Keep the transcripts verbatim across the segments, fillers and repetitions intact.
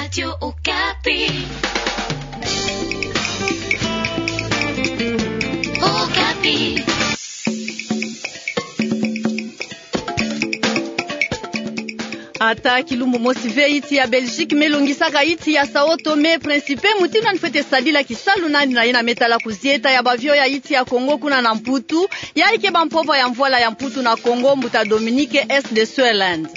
Radio Okapi. Okapi. Ata kilumbu mosi ve, insi ya Belgique me longisaka insi ya Sao Tome Principe mutindu yandi fwete sadila kisalu na yandi na yina me tala kuzieta ya b'avion ya insi ya Congo kuna na Mputu, ya ike ba mpova ya mvwala ya Mputu na Congo, mbuta Dominique S. de Sueland.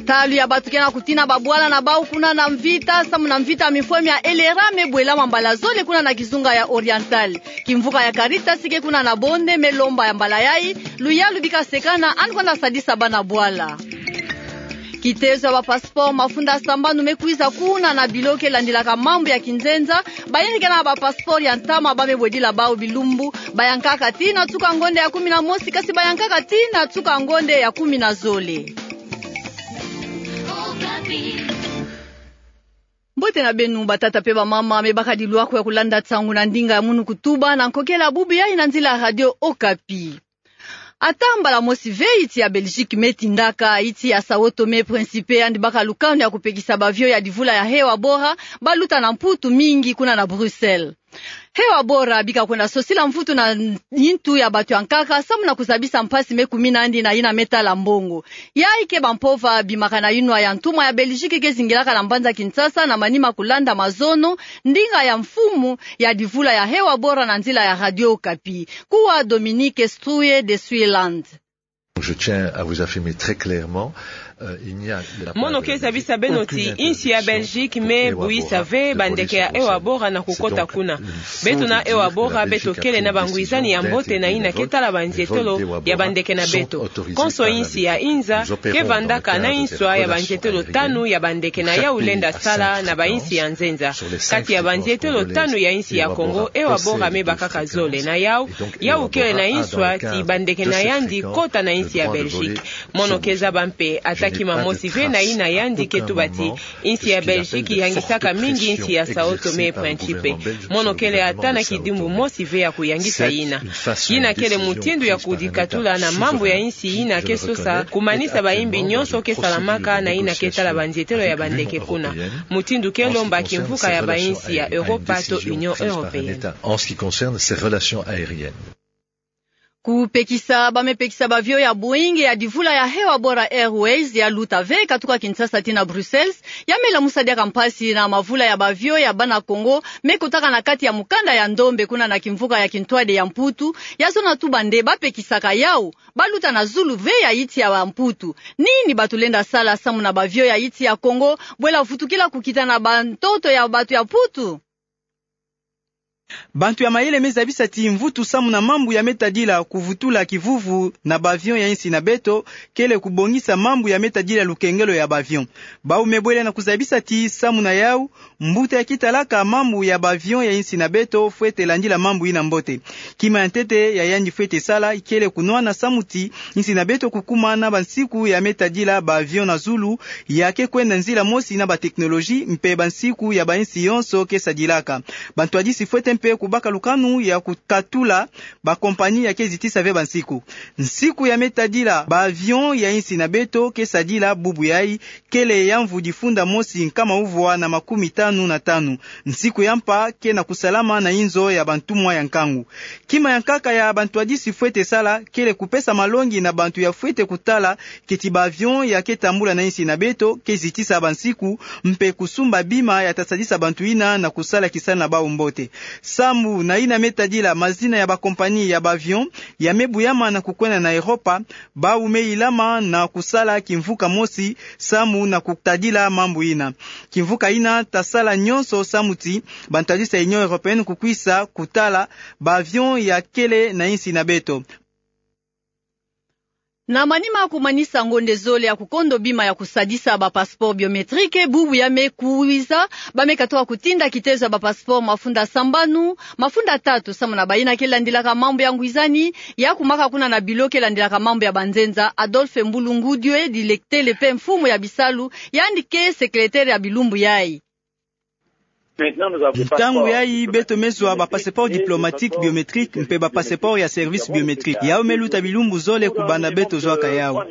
Talu ya bato ke na kutina ba bwala na bau kuna na mvita, samu na mvita mifweme ya L R A me bwelama mbala zole kuna na kizunga ya Oriental. Kimvuka ya Caritas ke kuna na Bonde me lomba ya mbala yai luyalu bika sekana yandi kwenda sadisa bana bwala. Kitezo ya ba passeport mafunda sambanu me kwiza kuna na bilo ke landilaka mambu ya kinzenza. Bayina ke na ba passeport ya ntama ba me bwedila bau bilumbu bayankaka tii na nsuka ngonde ya kumi na mosi, kasi bayankaka tii na nsuka ngonde ya kumi na zole. Mbote na beno batata pe bamama, me baka dilwako ya kulanda nsangu na ndinga ya munu kutuba na nkokela bubu yai na nzila ya Radio Okapi. Ata mbala mosi ve insi ya Belgique me tindaka insi ya Sao Tome Principe yandi baka lukanu ya kupekisa b'avion ya divula ya Hewa Bora baluta na Mputu mingi kuna na Bruxelles. Hewa Bora bika kwenda sosila mvutu na yintu ya bato ya nkaka samu na kuzabisa mpasi me kumina yandi na yina me tala mbongo. Ya ike ba mpova bimaka na yinwa ya ntumwa ya Belgique ke zingilaka na mbanza Kinshasa na manima kulanda mazono, ndinga ya mfumu ya divula ya Hewa Bora na nzila ya Radio Okapi, kuwa Dominique Struye de Sueland. Je tiens à vous affirmer très clairement, euh, il n'y a de la part de la Belgique aucune invitation pour Hewa Bora de proposer son service. Mono ke zabisa beno ti insi ya Belgique me buyisa ve bandeke ya Hewa Bora na kukota kuna. Beto na Hewa Bora beto kele na bangwizani ya mbote na yina ke tala banzietelo ya bandeke na beto. Konso insi ya inza ke vandaka na inswa ya banzietelo tanu ya bandeke na yau lenda sala na bainsi ya nzenza. Kati ya banzietelo tanu ya insi ya Congo, Hewa Bora me bakaka zole na yau, yau kele na inswa ti bandeke na yandi kota na insi ya Belgique. Mono ke zaba mpe ata kima mosi ve na yina yandi ke tuba ti insi ya Belgique yangisaka mingi insi ya Sao Tome Principe. Mono kele ata na kidimbu mosi ve ya kuyangisa yina. Yina kele mutindu ya kudikatula na mambu ya insi yina ke sosa kumanisa bayimbi nyonso ke salamaka na yina ke tala banzietelo ya bandeke kuna. Mutindu ke lomba kimvuka ya bainsi ya Europa to Union Européenne. En ce qui concerne ses relations aériennes. Kupekisa, ba me pekisa b'avion ya Boeing ya divula ya Hewa Bora Airways ya luta ve katuka Kinshasa tii na Bruxelles, ya me lamusa diaka mpasi na mavula ya b'avion ya bana Congo me kotaka na kati ya mukanda ya ndombe kuna na kimvuka ya kintwadi ya Mputu, ya zona tuba nde ba pekisaka yau ba luta na zulu ve ya insi ya Mputu. Nini bato lenda sala samu na b'avion ya insi ya Congo bwela vutukila kukita na bantoto ya bato ya Mputu? Bantu ya mayele me zabisa ti mvutu samu na mambu ya me tadila kuvutula kivuvu na b'avion ya insi na beto kele kubongisa mambu ya me tadila lukengelo ya b'avion. Bau me bwele na kuzabisa ti samu na yau, mbuta ya ke talaka mambu ya b'avion ya insi na beto fwete landila mambu yina mbote. Kima ya ntete ya yandi fwete sala kele kunwana samu ti insi na beto kukuma na bansiku ya me tadila b'avion na zulu ya ke kwenda nzila mosi na ba technologie mpe bansiku ya bainsi yonso ke sadilaka. Bantwadisi fwete mpe kubaka lukanu ya kukatula ba compagnie ya ke zitisa ve bansiku. Nsiku ya me tadila b'avion ya insi na beto ke sadila bubu yai kele ya mvu difunda mosi nkama uvwa na makumi tanu na tanu. Nsiku ya mpa ke na kusalama na inzo ya bantumwa ya nkangu. Kima ya nkaka ya bantwadisi fwete sala kele kupesa malongi na bantu ya fwete kutala keti b'avion ya ke tambula na insi na beto ke zitisa bansiku, mpe kusumba bima ya ta sadisa bantu yina na kusala kisalu na bau mbote. Samu na yina me tadila mazina ya ba compagnie ya b'avion ya me buyama na kukwenda na Europa, bau me ilama na kusala kimvuka mosi samu na kutadila mambu yina. Kimvuka yina ta sala nyonso samu ti bantwadisi ya Union Européenne kukwisa kutala b'avion ya kele na insi na beto. Na manima kumanisa ngonde zole ya kukondo bima ya kusadisa ba passeport biométrique, bubu ya me kwiza, ba me katuka kutinda kitezo ya ba passeport mafunda sambanu, mafunda tatu samu na bayina ke landilaka mambu ya ngwizani, ya kumaka kuna na bilo ke landilaka mambu ya banzenza, Adolphe Mbulungudieu, dilektele mpe mfumu ya bisalu, yandi ke sekeletere ya bilumbu yai. Ntangu yayi beto me zwa ba passeport diplomatique biométrique mpe ba passeport ya service biométrique. Yau me luta bilumbu zole kubanda beto zwaka yau.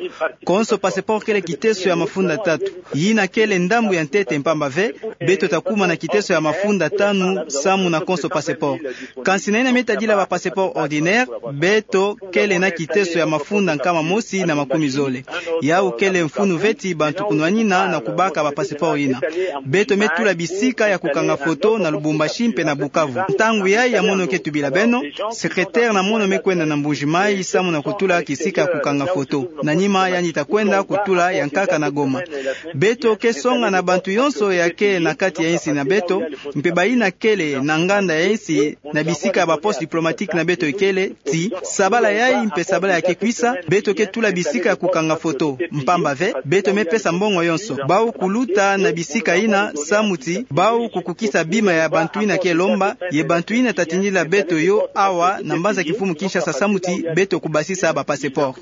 Konso passeport kele kiteso ya mafunda tatu. Yina kele ndambu ya ntete mpamba ve beto ta kuma na kiteso ya mafunda tanu samu na konso passeport. Kansi na yina me tadila ba passeport ordinaire, beto kele na kiteso ya mafunda nkama mosi na makumi zole. Yau kele mfunu ve ti bantu kunwanina na kubaka ba passeport yina. Beto me tula bisika ya kukanga foto na Lubumbashi mpe na Bukavu. Ntangu yayi ya mono ke tubila beno, secrétaire na mono me kwenda na Mbuji-Mayi samu na kutula kisika ya kukanga foto. Na nima yandi ta kwenda kutula ya nkaka na Goma. Beto ke songa na bantu yonso ya ke na kati ya insi na beto, mpe bayina kele na nganda ya insi na bisika ya ba poste diplomatique na beto ikele, ti sabala yayi mpe sabala ya ke kwisa, beto ke tula bisika ya kukanga foto. Mpamba ve, beto me pesa mbongo yonso. Bau kuluta na bisika yina samu ti bau kukukisa bima ya bantu yina ke lomba, ye bantu yina ta tindila beto yo awa na mbanza kimfumu Kinshasa samu ti beto kubasisa ba passeport.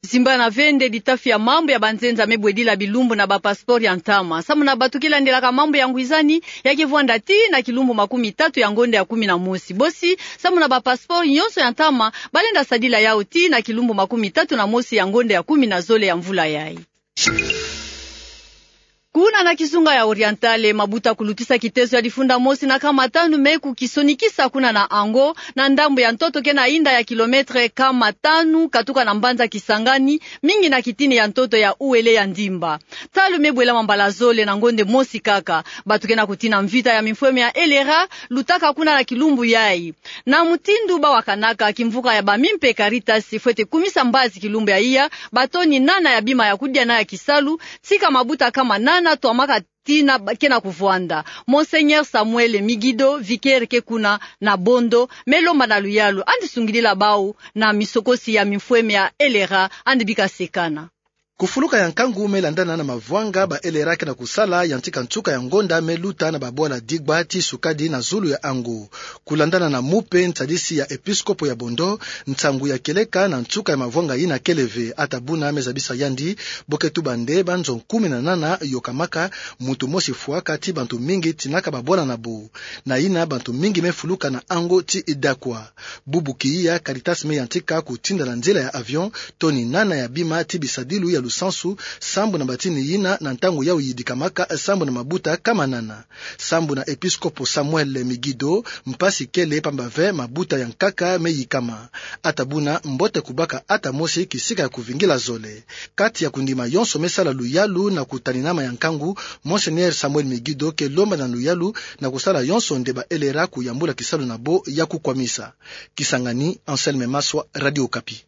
Zimbana ve nde ditafi ya mambu ya banzenza me bwedila bilumbu na ba passeport ya ntama. Samu na bato ke landelaka mambu ya ngwizani, ya ke vwanda tii na kilumbu makumi tatu ya ngonda ya kumi na mosi. Bosi, samu na ba passeport yonso ya ntama, ba lenda sadila yau tii na kilumbu makumi tatu na mosi ya ngonda ya kumi na zole ya mvula yayi. Kuna na kizunga ya Orientale, mabuta kulutisa kiteso ya difunda mosi na kama tanu me kukisonikisa kuna na Ango, na ndambu ya ntoto ke na inda ya kilomètre kama tanu katuka na mbanza Kisangani, mingi na kitini ya ntoto ya Uele ya Ndimba. Talu me bwelama mbala zole na ngonde mosi kaka. Bato ke na kutina mvita ya mimfweme ya LRA lutaka kuna na kilumbu yayi. Na mutindu ba wakanaka, kimvuka ya ba mimpe Caritas fwete kumisa mbazi kilumbu ya iya ba toni nana ya bima ya kudia na ya kisalu, tika mabuta kama nana twamaka tina ba-, ke na kuvwanda. Monseigneur Samuel Migido, vicaire ke kuna na Bondo, me lomba na luyalu andi sungidila bau na misokosi ya mimfweme ya LRA andi bika sekana. Kufuluka ya nkangu me landana na mavwanga ba LRA ke na kusala, yantika nsuka ya ngonda me luta na babwala Digba tii Sukadi na zulu ya Ango. Kulandana na mupe ntadisi ya episkopo ya Bondo, nsangu ya kieleka na nsuka ya mavwanga yina kele ve. Ata buna me zabisa yandi, bo ke tuba nde banzo kumi na nana yokamaka, muntu mosi fwaka tii bantu mingi tinaka babwala na bo. Na yina bantu mingi me fuluka na Ango tii Idakwa. Bubu kiya, Caritas me yantika kutinda na nzila ya avion toni nana ya bima tii bisadilu ya lusansu, sambu na batini yina na ntangu yau yidikamaka sambu na mabuta kama nana. Sambu na episkopo Samuel Migido, mpasi kele mpamba ve mabuta ya nkaka me yikama. Ata buna mbote kubaka ata mosi kisika ya kuvingila zole. Kati ya kundima yonso me sala luyalu na kutaninama ya nkangu, Monseigneur Samuel Migido ke lomba na luyalu na kusala yonso nde ba LRA kuyambula kisalu na bo ya kukwamisa. Kisangani, Anselme Maswa, Radio Okapi.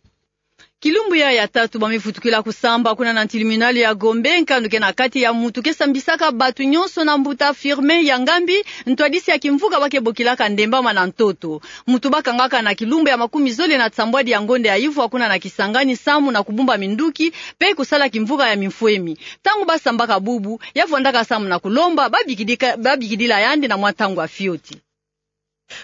Kilumbu ya, ya tatu ba me vutukila kusamba kuna na tribunal ya Gombe, nkandu ke na kati ya muntu ke sambisaka bato nyonso na mbuta Firmin Yangambi, ntwadisi ya kimvuka ba ke bokilaka Ndembama na ntoto. Muntu ba kangaka na kilumbu ya makumi zole na nsambwadi ya ngonda ya ivwa kuna na Kisangani samu na kubumba minduki, mpe kusala kimvuka ya mimfwemi. Ntangu ba sambaka bubu, ya vwandaka samu na kulomba ba bikidika-, ba bikidila yandi na mwa ntangu ya fioti.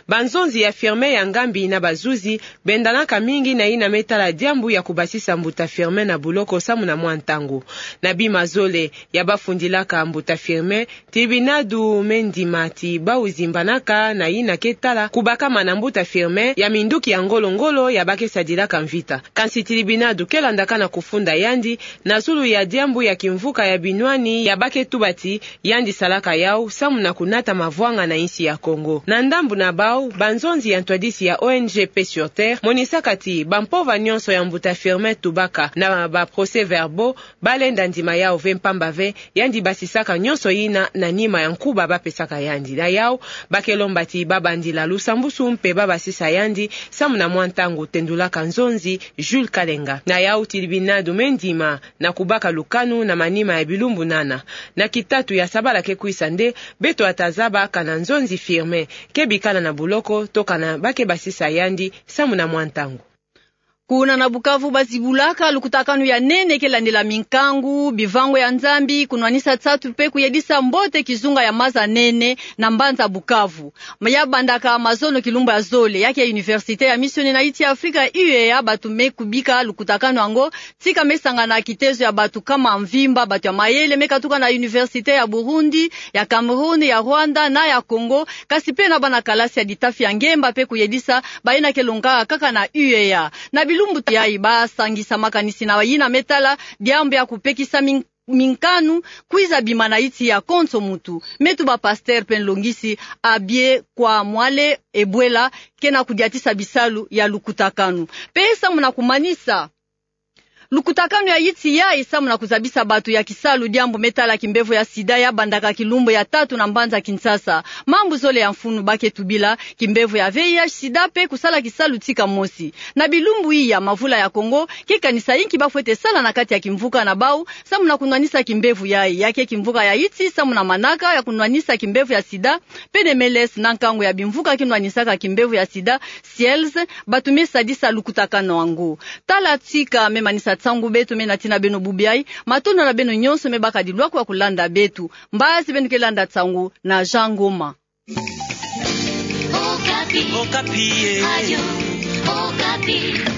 Banzonzi ya Firmin Yangambi na bazuzi bendanaka mingi na yina me tala diambu ya kubasisa mbuta Firmin na buloko samu na mwa ntangu. Na bima zole ya ba fundilaka mbuta Firmin, tribunal me ndima ti bau zimbanaka na yina ke tala kubakama na mbuta Firmin ya minduki ya ngolo-ngolo ya ba ke sadilaka mvita. Kansi tribunal ke landaka na kufunda yandi na zulu ya diambu ya kimvuka ya binwani ya ba ke tuba ti yandi salaka yau samu na kunata mavwanga na insi ya Kongo. Na ndambu na bau, banzonzi ya ntwadisi ya O N G Paix sur Terre monisaka ti bampova nyonso ya mbuta Firmin tubaka na ba procès-verbaux, ba lenda ndima yau ve mpamba ve yandi basisaka nyonso yina na nima ya nkuba ba pesaka yandi. Na yau, ba ke lomba ti ba bandila lusambusu mpe ba basisa yandi samu na mwa ntangu, tendulaka nzonzi Jules Kalenga. Na yau tribunal me ndima na kubaka lukanu na manima ya bilumbu nana. Na kitatu ya sabala ke kwisa nde beto ta zaba kana nzonzi Firmin ke bikana na buloko to kana ba ke basisa yandi samu na mwa ntangu. Kuna na Bukavu bazibulaka lukutakanu ya nene ke landila minkangu, bivango ya Nzambi, kunwanisa nsatu mpe kuyedisa mbote kizunga ya maza nene na mbanza Bukavu. Ma ya bandaka mazono kilumbu ya zole, ya ke Université ya Misioni na Iti ya Afrika, U E A, bato me kubika lukutakanu yango, tika me sangana kitezo ya bato kama mvimba, bato ya mayele, me katuka na université ya Burundi, ya Cameroun, ya Rwanda na ya Congo, kasi mpe na bana kalasi ya litafi ya ngemba mpe kuyedisa baye na ke longa kaka na U E A. Na bilumbu yayi basangisa makanisi na yina me tala diambu ya kupekisa min-, minkanu kwiza bima na iti ya konso mutu. Me tuba pasteur mpe nlongisi Abbé Kwamwale Ebwela ke na kudiatisa bisalu ya lukutakanu. Mpe samu na kumanisa lukutakanu ya iti yayi, samu na kuzabisa bato ya kisalu diambu me tala kimbevo ya sida, ya bandaka kilumbu ya tatu na mbanza Kinshasa. Mambu zole ya mfunu ba ke tubila, kimbevo ya V I H sida mpe kusala kisalu tika mosi. Na bilumbu iya, mavula ya Kongo ke kanisa inki ba fwete sala na kati ya kimvuka na bau samu na kunwanisa kimbevo yayi. Ya ke kimvuka ya iti samu na manaka ya kunwanisa kimbevo ya sida, P N M L S, na nkangu ya bimvuka ke nwanisaka kimbevo ya sida, SIELS, bato me sadisa lukutakanu yango. Tala tika me manisa nsangu beto me natina beno bubu yayi. Matondo na beno nyonso me bakadi lwakwa kulanda beto. Mbazi beno ke landa nsangu na Jean Ngoma. Okapi. Okapi, eh. Radio Okapi.